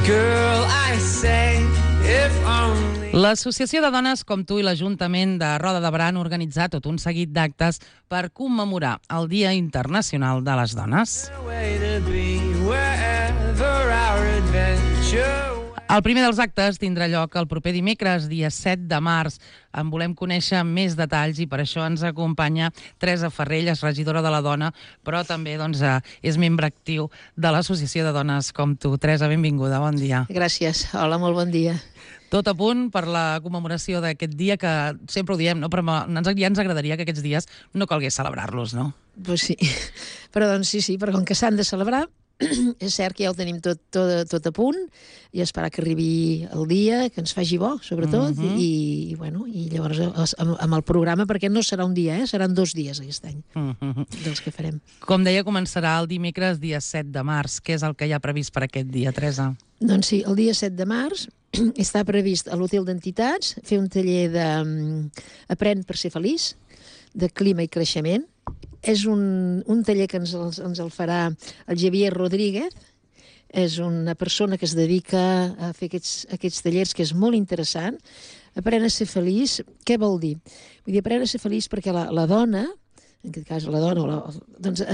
Girl, I say, if only... L'Associació de Dones com tu i l'Ajuntament de Roda de Berà han organitzat tot un seguit d'actes per commemorar el Dia Internacional de les Dones. El primer dels actes tindrà lloc el proper dimecres, dia 7 de març. En volem conèixer més detalls i per això ens acompanya Teresa Ferrell, és regidora de la Dona, però també és membre actiu de l'Associació de Dones com tu. Teresa, benvinguda, bon dia. Gràcies, hola, molt bon dia. Tot a punt per la commemoració d'aquest dia, que sempre ho diem, no? Però ja ens agradaria que aquests dies no calgués celebrar-los, no? Pues sí, però doncs sí, però com que s'han de celebrar, és cert que ja ho tenim tot a punt i esperar que arribi el dia, que ens faci bo, sobretot, i llavors amb el programa, perquè no serà un dia, seran 2 dies aquest any, dels que farem. Com deia, començarà el dimecres, dia 7 de març. Què és el que hi ha previst per aquest dia, Teresa? Doncs sí, el dia 7 de març està previst a l'Hotel d'Entitats fer un taller d'Aprèn per ser feliç, de clima i creixement. És un taller que ens el farà el Javier Rodríguez. És una persona que es dedica a fer aquests tallers, que és molt interessant. Aprèn a ser feliç. Què vol dir? Vull dir, aprèn a ser feliç perquè la dona, en aquest cas la dona, doncs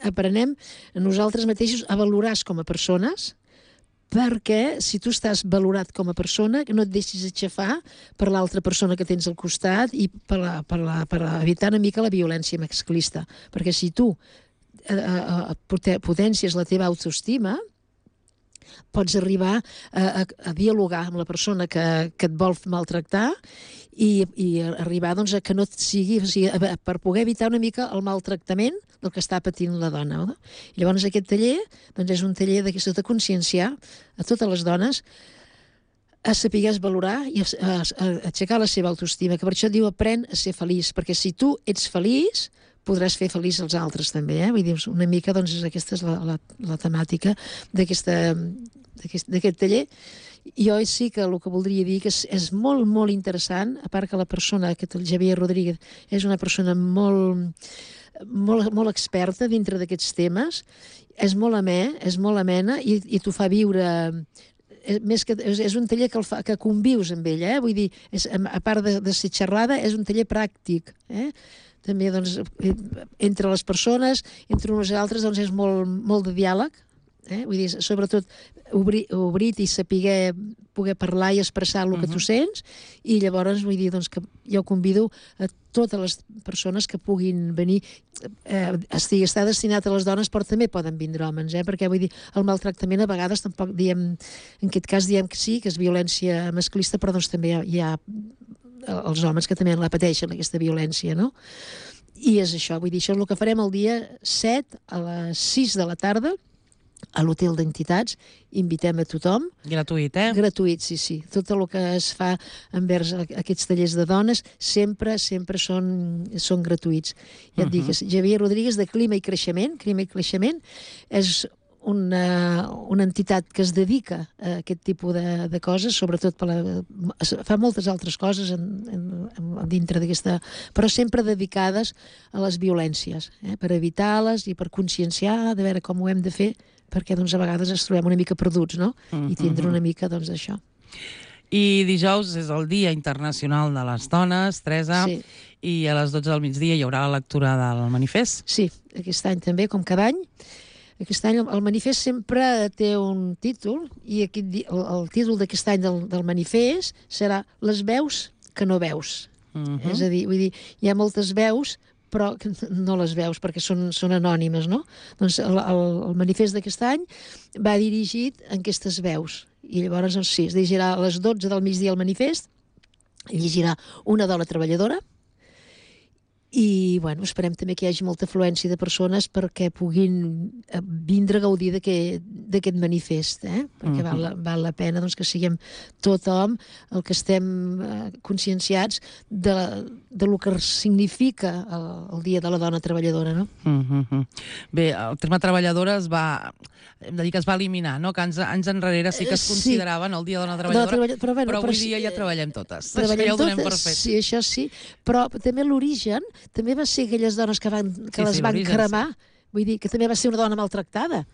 aprenem a nosaltres mateixos a valorar-nos com a persones, perquè si tu estàs valorat com a persona, no et deixis aixafar per l'altra persona que tens al costat i per evitar una mica la violència masclista. Perquè si tu potències la teva autoestima, pots arribar a dialogar amb la persona que et vol maltractar i arribar a que no et sigui, per poder evitar una mica el maltractament del que està patint la dona. I llavors aquest taller és un taller de conscienciar a totes les dones a saber valorar i a aixecar la seva autoestima, que per això diu aprèn a ser feliç, perquè si tu ets feliç podràs fer feliç els altres també, Vull dir, una mica, aquesta és la temàtica d'aquest taller. Jo sí que el que voldria dir que és molt, molt interessant, a part que la persona, el Javier Rodríguez, és una persona molt experta dintre d'aquests temes, és molt amena i t'ho fa viure... És un taller que convius amb ell, vull dir, a part de ser xerrada, és un taller pràctic, també entre les persones, entre uns i altres, és molt de diàleg, vull dir, sobretot obrir-te i saber poder parlar i expressar el que tu sents, i llavors vull dir que jo convido a totes les persones que puguin venir. Està destinat a les dones, però també poden vindre homes, perquè vull dir, el maltractament a vegades tampoc diem, en aquest cas diem que sí, que és violència masclista, però també hi ha els homes que també la pateixen, aquesta violència, no? I és això, vull dir, això és el que farem el dia 7 a les 6 de la tarda a l'Hotel d'Entitats. Invitem a tothom. Gratuït, Gratuït, sí. Tot el que es fa envers aquests tallers de dones sempre són gratuïts. Ja et dic, Javier Rodríguez, de Clima i Creixement. Clima i Creixement és una entitat que es dedica a aquest tipus de coses, sobretot fa moltes altres coses dintre d'aquesta, però sempre dedicades a les violències, per evitar-les i per conscienciar, de veure com ho hem de fer, perquè a vegades ens trobem una mica perduts, no? I tindre una mica això. I dijous és el Dia Internacional de les Dones, Teresa, i a les 12 del migdia hi haurà la lectura del manifest. Sí, aquest any també, com cada any. Aquest any el manifest sempre té un títol, i el títol d'aquest any del manifest serà Les veus que no veus. És a dir, vull dir, hi ha moltes veus, però no les veus perquè són anònimes, no? Doncs el manifest d'aquest any va dirigit a aquestes veus. I llavors, es llegirà a les 12 del migdia el manifest, llegirà una dona treballadora, i esperem també que hi hagi molta afluència de persones perquè puguin vindre a gaudir d'aquest manifest, perquè val la pena que siguem tothom el que estem conscienciats de lo que significa el Dia de la Dona Treballadora, no? Bé, el terme treballadora hem de dir que es va eliminar, no? Que anys enrere sí que es consideraven el Dia de la Dona Treballadora, però avui dia ja treballem totes. Treballem ja ho donem per totes, fet. sí, això sí, però també l'origen també va ser aquelles dones que les van cremar, vull dir que també va ser una dona maltractada.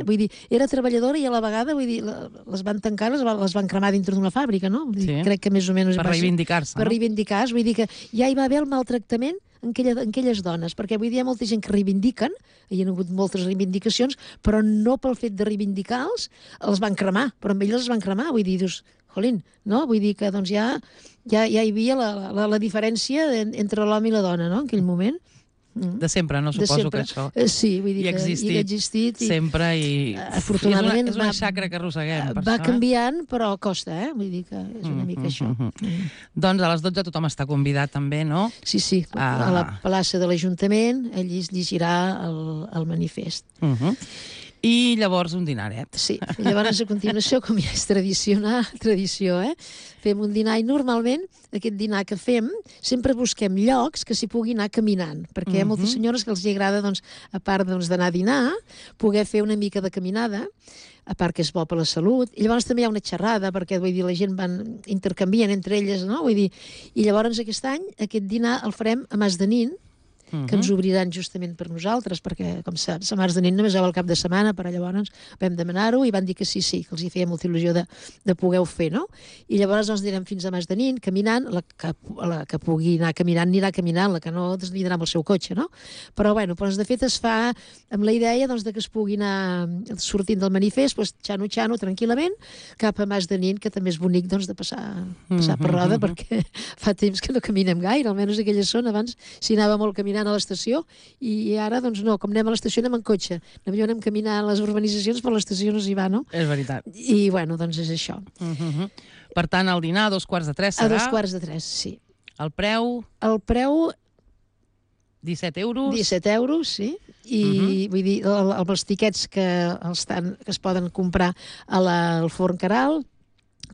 Vull dir, era treballadora i a la vegada, vull dir, les van tancar, les van cremar dintre d'una fàbrica, no? Vull dir, crec que més o menys... Per reivindicar-se, no? Per reivindicar-se, vull dir que ja hi va haver el maltractament en aquelles dones, perquè vull dir, hi ha molta gent que reivindiquen, hi ha hagut moltes reivindicacions, però no pel fet de reivindicar-los, els van cremar, però amb elles els van cremar, vull dir, dius, jolín, no? Vull dir que doncs ja hi havia la diferència entre l'home i la dona, no?, en aquell moment. De sempre, no? Suposo que això sí, vull dir hi ha existit sempre i afortunadament és una xacra que arrosseguem. Va canviant, però costa, vull dir que és una mica això. Doncs a les 12 tothom està convidat també, no? Sí, a la plaça de l'Ajuntament, allí es llegirà el manifest. I llavors un dinaret. Sí, llavors a continuació, com ja és tradició, fem un dinar i normalment aquest dinar que fem sempre busquem llocs que s'hi pugui anar caminant, perquè hi ha moltes senyores que els agrada, doncs, a part d'anar a dinar, poder fer una mica de caminada, a part que és bo per la salut, i llavors també hi ha una xerrada, perquè vull dir, la gent intercanvien entre elles, no? Vull dir, i llavors aquest any, aquest dinar el farem a Mas de Nin, que ens obriran justament per nosaltres, perquè, com saps, a Mas de Nin només el cap de setmana, però llavors vam demanar-ho i van dir que sí, que els hi feia molta il·lusió de poder-ho fer, no? I llavors ens anirem fins a Mas de Nin, caminant, la que pugui anar caminant anirà caminant, la que no anirà amb el seu cotxe, no? Però, bueno, doncs de fet es fa amb la idea doncs, que es pugui anar sortint del manifest, doncs, xano, tranquil·lament, cap a Mas de Nin, que també és bonic doncs, de passar per roda, perquè fa temps que no caminem gaire, almenys aquella zona, abans s'hi anava molt caminant a l'estació, i ara, doncs no, com anem a l'estació anem en cotxe, anem caminant a les urbanitzacions, però l'estació no s'hi va, no? És veritat. I, bueno, doncs és això. Per tant, el dinar a 2:45 serà? A 2:45, sí. El preu? El preu... 17 euros? 17 euros, sí. I vull dir, amb els tiquets que es poden comprar al Forn Caral,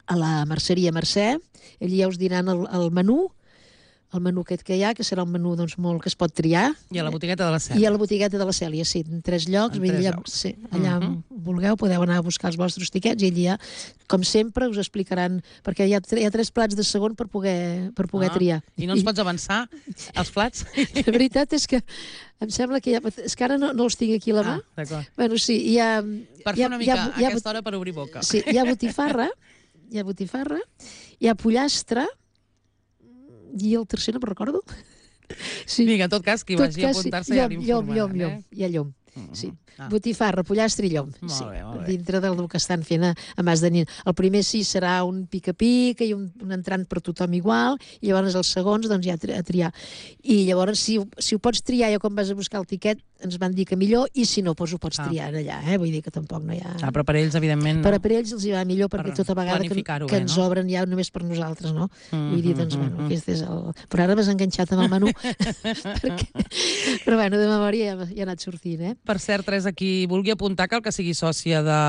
a la Merceria Mercè, allí ja us diran el menú, el menú aquest que hi ha, que serà un menú doncs, molt que es pot triar. I a la botigueta de la Cèlia. I a la botigueta de la Cèlia, sí, en 3 llocs. Allà vulgueu, podeu anar a buscar els vostres tiquets i allà, com sempre, us explicaran, perquè hi ha 3 plats de segon per poder triar. I no ens pots avançar els plats? La veritat és que em sembla que és que ara no els tinc aquí a la mà. D'acord. Bueno, sí, hi ha... Per fer una mica a aquesta hora per obrir boca. Sí, hi ha botifarra, hi ha pollastre, i el tercer no me'n recordo. Sí. Vinga, en tot cas, qui vagi a apuntar-se ja l'informaran. Llom, hi ha llom. Sí. Botifarra, pollastre i llom. Molt bé. Dintre del que estan fent a Mas de Nin. El primer sí serà un pica-pica i un entrant per tothom igual, i llavors els segons doncs ja a triar. I llavors si ho pots triar ja quan vas a buscar el tiquet ens van dir que millor, i si no, doncs ho pots triar allà, vull dir que tampoc no hi ha... Però per ells, evidentment... Per ells els hi va millor, perquè tota vegada que ens obren ja només per nosaltres, no? Vull dir, doncs, bueno, aquest és el... Però ara m'has enganxat amb el menú, però bueno, de memòria ja ha anat sortint, Per cert, Teresa, qui vulgui apuntar cal que sigui sòcia de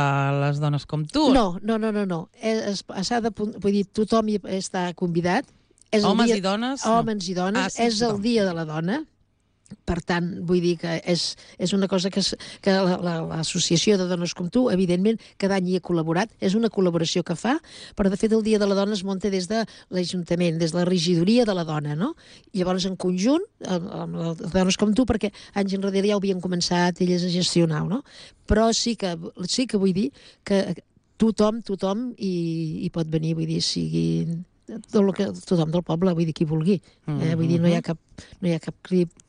les dones com tu. No. Vull dir, tothom hi està convidat. Homes i dones? Homes i dones. És el dia de la dona. Per tant, vull dir que és una cosa que l'Associació de Dones com Tu, evidentment, cada any hi ha col·laborat, és una col·laboració que fa, però de fet el Dia de la Dona es munta des de l'Ajuntament, des de la regidoria de la dona, no? I llavors en conjunt, amb les Dones com Tu, perquè anys enrere ja ho havien començat elles a gestionar, no? Però sí que vull dir que tothom hi pot venir, vull dir, sigui... tothom del poble, vull dir, qui vulgui. Vull dir, no hi ha cap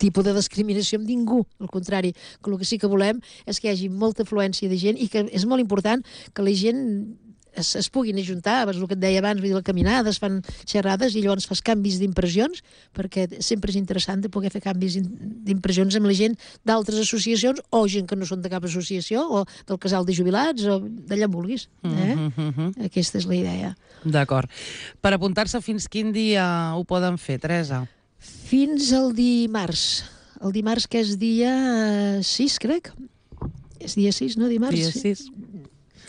tipus de discriminació amb ningú. Al contrari, que el que sí que volem és que hi hagi molta afluència de gent i que és molt important que la gent es puguin ajuntar, el que et deia abans, vull dir, la caminada, es fan xerrades i llavors fas canvis d'impressions, perquè sempre és interessant de poder fer canvis d'impressions amb la gent d'altres associacions o gent que no són de cap associació o del casal de jubilats o d'allà on vulguis. Aquesta és la idea. D'acord. Per apuntar-se fins quin dia ho poden fer, Teresa? Fins al dimarts. El dimarts, que és dia 6, crec. És dia 6, no? Dimarts? Dia 6.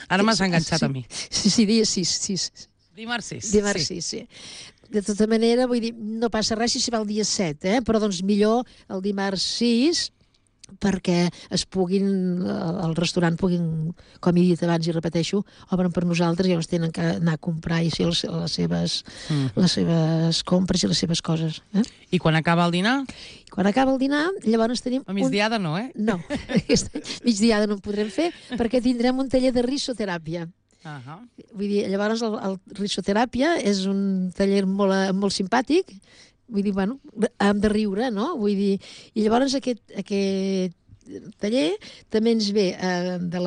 Ara m'has enganxat a mi. Sí, dia 6. Dimarts 6. Dimarts 6, sí. De tota manera, vull dir, no passa res si va el dia 7, però doncs millor el dimarts 6 perquè el restaurant puguin, com he dit abans i repeteixo, obren per nosaltres i llavors tenen que anar a comprar i fer les seves compres i les seves coses. I quan acaba el dinar? Quan acaba el dinar, llavors tenim... A migdiada no, eh? No, migdiada no en podrem fer perquè tindrem un taller de risoteràpia. Vull dir, llavors el risoteràpia és un taller molt simpàtic. Vull dir, bueno, hem de riure, no? Vull dir, i llavors aquest taller també ens ve de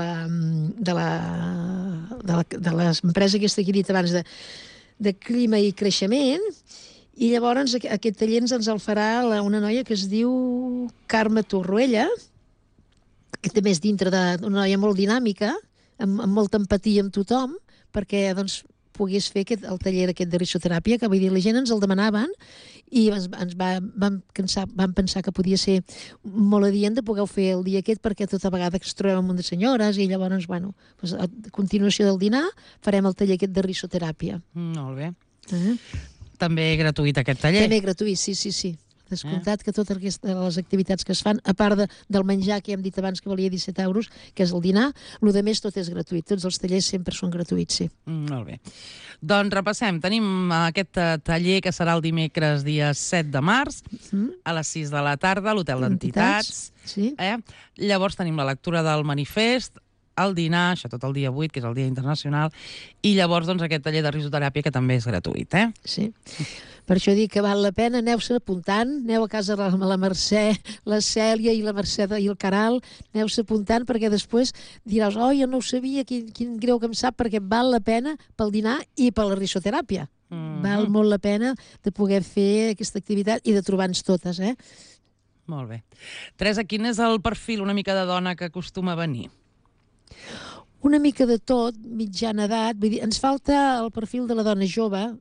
l'empresa aquesta que he dit abans de clima i creixement, i llavors aquest taller ens el farà una noia que es diu Carme Torroella, que també és dintre d'una noia molt dinàmica, amb molta empatia amb tothom, perquè, doncs, pogués fer el taller aquest de risoteràpia, que vull dir, la gent ens el demanaven i vam pensar que podia ser molt adient de poder fer el dia aquest, perquè tota vegada que es trobem amb un de senyores i llavors, bueno, a continuació del dinar farem el taller aquest de risoteràpia. Molt bé. També gratuït aquest taller? També gratuït, sí. Descomptat que totes les activitats que es fan, a part del menjar que hem dit abans que valia 17 euros, que és el dinar, el de més tot és gratuït. Tots els tallers sempre són gratuïts, sí. Molt bé. Doncs repassem. Tenim aquest taller que serà el dimecres dia 7 de març a les 6 de la tarda a l'Hotel d'Entitats. Sí. Llavors tenim la lectura del manifest, el dinar, això tot el dia 8, que és el Dia Internacional, i llavors doncs, aquest taller de risoteràpia que també és gratuït. Sí. Per això dic que val la pena, aneu-se apuntant, aneu a casa de la Mercè, la Cèlia i la Mercè i el Caral, aneu-se apuntant perquè després diràs, jo no ho sabia, quin greu que em sap, perquè val la pena pel dinar i per la risoteràpia. Val molt la pena de poder fer aquesta activitat i de trobar-nos totes, Molt bé. Teresa, quin és el perfil una mica de dona que acostuma a venir? Una mica de tot, mitjana edat, vull dir, ens falta el perfil de la dona jove,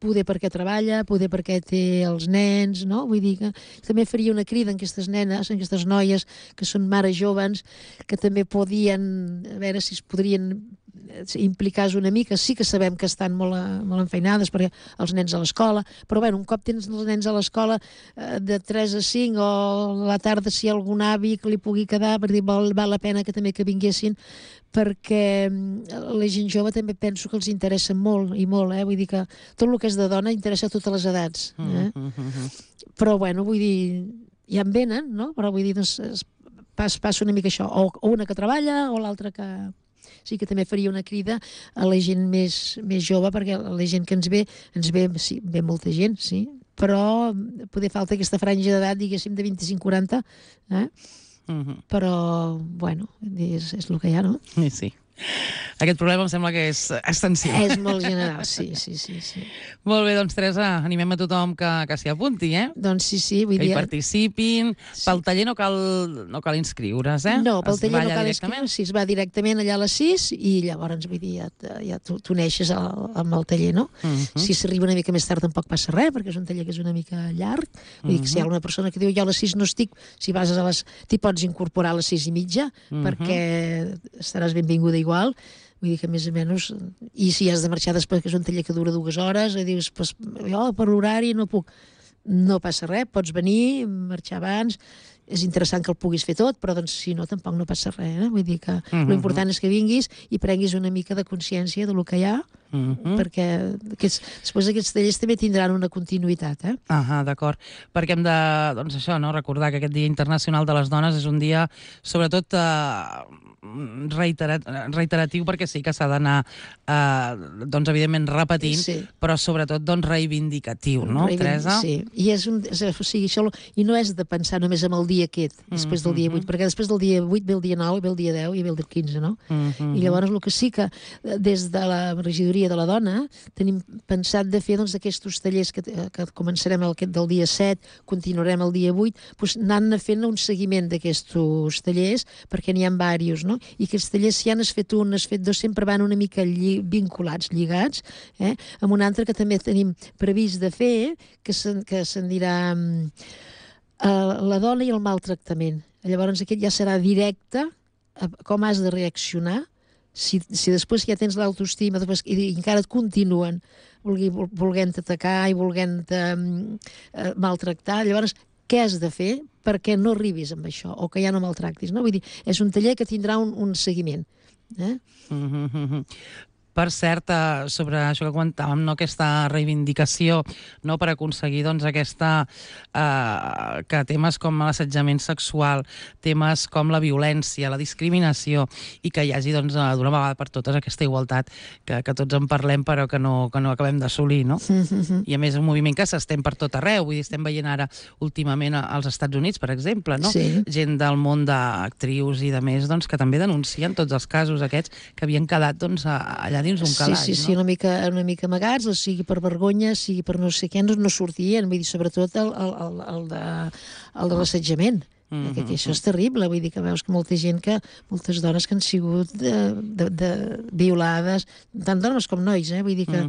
poder perquè treballa, poder perquè té els nens, no? Vull dir que també faria una crida en aquestes nenes, en aquestes noies que són mares joves, que també podien, a veure si es podrien implicar una mica. Sí que sabem que estan molt enfeinades perquè els nens a l'escola, però bueno, un cop tens els nens a l'escola de 3 a 5 o a la tarda si hi ha algun avi que li pugui quedar, per dir, val la pena que també que vinguessin, perquè la gent jove també penso que els interessa molt i molt, vull dir que tot el que és de dona interessa a totes les edats. Però bueno, vull dir, ja en venen, no? Però vull dir, doncs, passa una mica això, o una que treballa o l'altra que... Sí que també faria una crida a la gent més jove, perquè la gent que ens ve, sí, ve molta gent, sí, però poder falta aquesta franja d'edat, diguéssim, de 25-40, però, bueno, és el que hi ha, no? Sí. Aquest problema em sembla que és extensiu. És molt general, sí. Molt bé, doncs, Teresa, animem a tothom que s'hi apunti, Doncs sí, vull dir... Que hi participin. Sí. Pel taller no cal inscriure's, No, pel taller no cal inscriure's, sí, es va directament allà a les 6 i llavors, vull dir, ja tu neixes amb el taller, no? Si s'arriba una mica més tard tampoc passa res, perquè és un taller que és una mica llarg. Vull dir que si hi ha una persona que diu jo a les 6 no estic, si vas a t'hi pots incorporar a les 6:30, perquè estaràs benvinguda igual. Vull dir que més o menys, i si has de marxar després, que és un taller que dura 2 hores, i dius, pues, jo per horari no puc, no passa res, pots venir, marxar abans, és interessant que el puguis fer tot, però doncs, si no, tampoc no passa res, Vull dir que l'important és que vinguis i prenguis una mica de consciència del que hi ha, perquè després aquests tallers també tindran una continuïtat, D'acord, perquè hem de, doncs això, no? Recordar que aquest Dia Internacional de les Dones és un dia, sobretot, reiteratiu, perquè sí que s'ha d'anar, doncs, evidentment, repetint, però sobretot, doncs, reivindicatiu, no, Teresa? Sí, i i no és de pensar només en el dia aquest, després del dia 8, perquè després del dia 8 ve el dia 9, ve el dia 10 i ve el dia 15, no? I llavors el que sí que des de la regidoria de la dona tenim pensat de fer, doncs, aquests tallers que començarem aquest del dia 7, continuarem el dia 8, doncs anar fent un seguiment d'aquests tallers, perquè n'hi ha diversos, no? I aquests tallers, si has fet un, has fet dos, sempre van una mica vinculats, lligats, amb un altre que també tenim previst de fer, que se'n dirà la dona i el maltractament. Llavors aquest ja serà directe a com has de reaccionar si després ja tens l'autoestima i encara et continuen volent-te atacar i volent-te maltractar. Llavors, què has de fer perquè no arribis amb això, o que ja no maltractis, no? Vull dir, és un taller que tindrà un seguiment. Per cert, sobre això que comentàvem, no, aquesta reivindicació, no, per aconseguir doncs, que temes com l'assetjament sexual, temes com la violència, la discriminació, i que hi hagi doncs, d'una vegada per totes aquesta igualtat que tots en parlem però que no acabem d'assolir, no? I a més un moviment que s'estén per tot arreu, vull dir, estem veient ara últimament als Estats Units, per exemple, no? Sí. Gent del món d'actrius i de més, doncs, que també denuncien tots els casos aquests que havien quedat doncs, allà dins un calaix, sí, no? una mica amagats, sigui per vergonya, sigui per no sé què, no sortien, vull dir, sobretot el de l'assetjament. Que això és terrible, vull dir que veus que moltes dones que han sigut violades, tant dones com nois, vull dir que...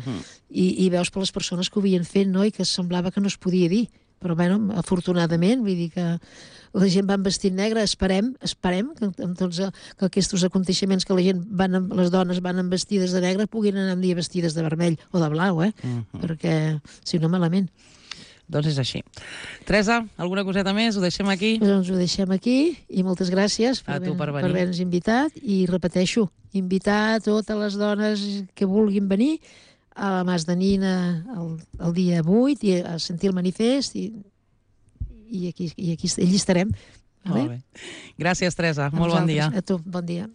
I veus per les persones que ho havien fet, no?, i que semblava que no es podia dir. Però, bueno, afortunadament, vull dir que la gent va en vestit negre, esperem que amb tots que aquests aconteixements que les dones van en vestides de negre puguin anar un dia vestides de vermell o de blau, perquè, si no, malament. Doncs és així. Teresa, alguna coseta més? Ho deixem aquí? Doncs ho deixem aquí i moltes gràcies per haver-nos invitat i repeteixo, invitar totes les dones que vulguin venir a la Mas de Nina el dia 8 i a sentir el manifest i aquí estarem. Molt bé. Gràcies, Teresa. Molt bon dia. A tu, bon dia.